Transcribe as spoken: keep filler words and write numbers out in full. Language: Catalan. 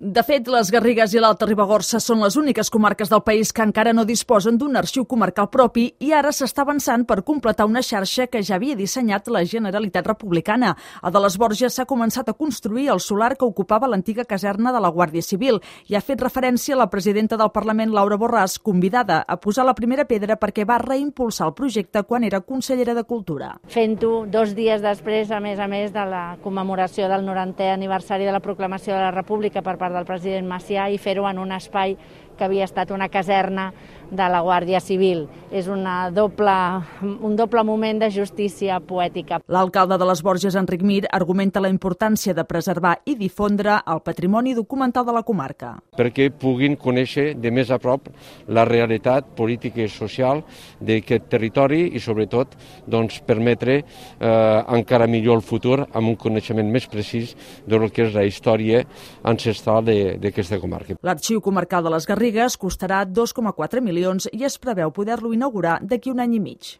De fet, les Garrigues i l'Alta Ribagorça són les úniques comarques del país que encara no disposen d'un arxiu comarcal propi i ara s'està avançant per completar una xarxa que ja havia dissenyat la Generalitat Republicana. A de les Borges s'ha començat a construir el solar que ocupava l'antiga caserna de la Guàrdia Civil i ha fet referència a la presidenta del Parlament, Laura Borràs, convidada a posar la primera pedra perquè va reimpulsar el projecte quan era consellera de Cultura. Fent-ho dos dies després, a més a més de la commemoració del norantè aniversari de la proclamació de la República per part del president Macià i fer-ho en un espai que havia estat una caserna de la Guàrdia Civil. És una doble, un doble moment de justícia poètica. L'alcalde de les Borges, Enric Mir, argumenta la importància de preservar i difondre el patrimoni documental de la comarca. Perquè puguin conèixer de més a prop la realitat política i social d'aquest territori i, sobretot, doncs, permetre eh, encara millor el futur amb un coneixement més precís del que és la història ancestral d'aquesta comarca. L'Arxiu Comarcal de les Garrigues costarà dos coma quatre milions i es preveu poder-lo inaugurar d'aquí un any i mig.